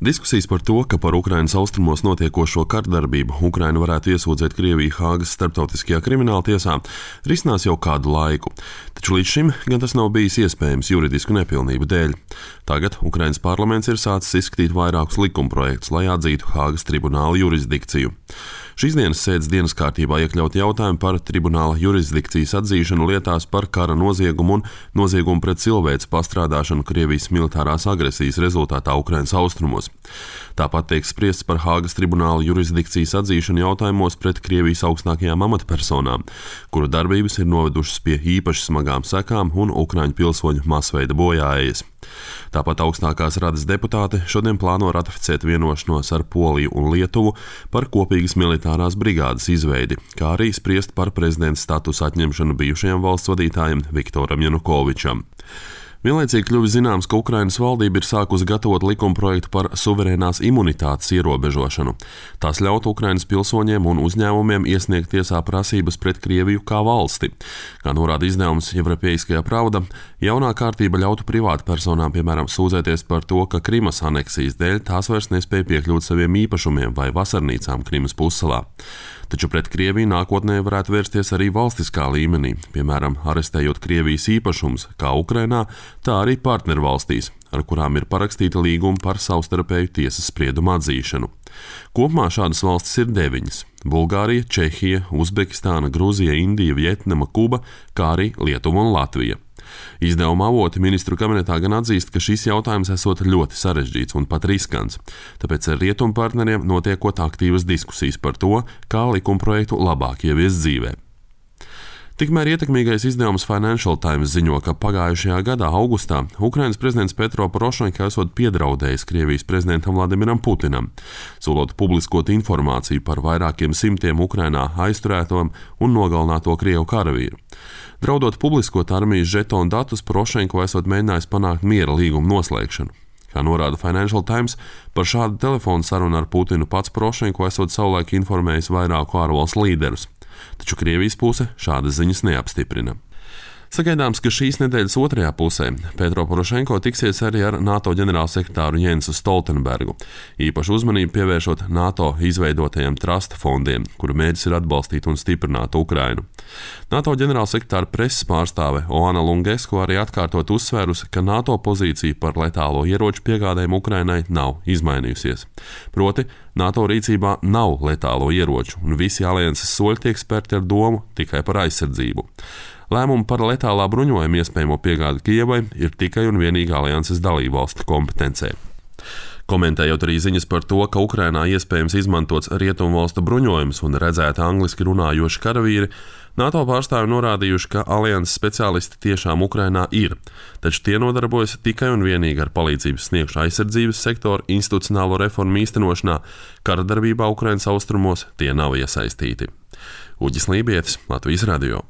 Diskusijas par to, ka par Ukrainas austrumos notiekošo kardarbību Ukraina varētu iesūdzēt Krieviju Hāgas starptautiskajā krimināla tiesā, risinās jau kādu laiku. Taču līdz šim gan tas nav bijis iespējams juridisku nepilnību dēļ. Tagad Ukrainas parlaments ir sācis izskatīt vairākus likumprojektus, lai atzītu Hāgas tribunāla jurisdikciju. Šīs dienas sēdes dienas kārtībā iekļaut jautājumu par tribunāla jurisdikcijas atzīšanu lietās par kara noziegumu un noziegumu pret cilvēces pastrādāšanu Krievijas militārās agresijas rezultātā Ukrainas austrumos. Tāpat tiek spriests par Hāgas tribunāla jurisdikcijas atzīšanu jautājumos pret Krievijas augstākajām amatpersonām, kuru darbības ir novedušas pie īpaši smagām sekām un ukraiņu pilsoņu masveida bojāējas. Tāpat augstākās radas deputāti šodien plāno ratificēt vienošanos ar Poliju un Lietuvu par kopīgas militārās brigādes izveidi, kā arī spriest par prezidenta statusa atņemšanu bijušajam valsts vadītājam Viktoram Janukovičam. Vienlaicīgi kļuvis zināms, ka Ukrainas valdība ir sākusi gatavot likumprojektu par suverēnās imunitātes ierobežošanu. Tas ļautu Ukrainas pilsoņiem un uzņēmumiem iesniegt tiesā prasības pret Krieviju kā valsti. Kā norāda izdevums Европейская правда, jaunā kārtība ļautu privātpersonām, piemēram, sūdzēties par to, ka Krimas aneksijas dēļ tās vairs nespēja piekļūt saviem īpašumiem vai vasarnīcām Krimas pussalā. Taču pret Krieviju nākotnē varētu vērsties arī valstiskā līmenī, piemēram, arestējot Krievijas īpašumus kā Ukrainā, tā arī partnervalstīs, ar kurām ir parakstīta līguma par savstarpēju tiesas spriedumu atzīšanu. Kopumā šādas valstis ir 9 – Bulgārija, Čehija, Uzbekistāna, Grūzija, Indija, Vjetnama, Kuba, kā arī Lietuva un Latvija. Izdevuma avoti ministru kabinetā gan atzīst, ka šis jautājums esot ļoti sarežģīts un pat riskants, tāpēc ar rietumu partneriem notiekot aktīvas diskusijas par to, kā likumprojektu labāk ieviest dzīvē. Tikmēr ietekmīgais izdevums Financial Times ziņo, ka pagājušajā gadā augustā Ukrainas prezidents Petro Porošenko esot piedraudējis Krievijas prezidentam Vladimiram Putinam, solot publiskot informāciju par vairākiem simtiem Ukrainā aizturēto un nogalināto Krievu karavīru. Draudot publiskot armijas žetonu datus, Porošenko esot mēģinājis panākt miera līgumu noslēgšanu. Kā norāda Financial Times, par šādu telefonu sarunu ar Putinu pats Porošenko esot savulaik informējis vairāku ārvalstu līderus. Taču Krievijas puse šādas ziņas neapstiprina. Sagaidāms, ka šīs nedēļas otrajā pusē Petro Porošenko tiksies arī ar NATO ģenerālsekretāru Jensu Stoltenbergu, īpašu uzmanību pievēršot NATO izveidotajiem trusta fondiem, kuru mērķis ir atbalstīt un stiprināt Ukrainu. NATO ģenerālsekretāra preses pārstāve Oana Lungesko arī atkārtot uzsvērusi, ka NATO pozīcija par letālo ieroču piegādēm Ukrainai nav izmainījusies. Proti, NATO rīcībā nav letālo ieroču, un visi alianses soļi tiek spērti ar domu tikai par aizsardzību. Lēmumu par letālā bruņojuma iespējamo piegādi Kijevai ir tikai un vienīgi alianses dalībvalstu kompetencē. Komentējot arī ziņas par to, ka Ukrainā iespējams izmantots rietumvalstu bruņojums un redzēti angliski runājoši karavīri, NATO pārstāvi norādījuši, ka alianses speciālisti tiešām Ukrainā ir, taču tie nodarbojas tikai un vienīgi ar palīdzības sniegšanu aizsardzības sektoru institucionālo reformu īstenošanā, kara darbībā Ukrainas austrumos tie nav iesaistīti. Uģis Lībietis, Latvijas radio.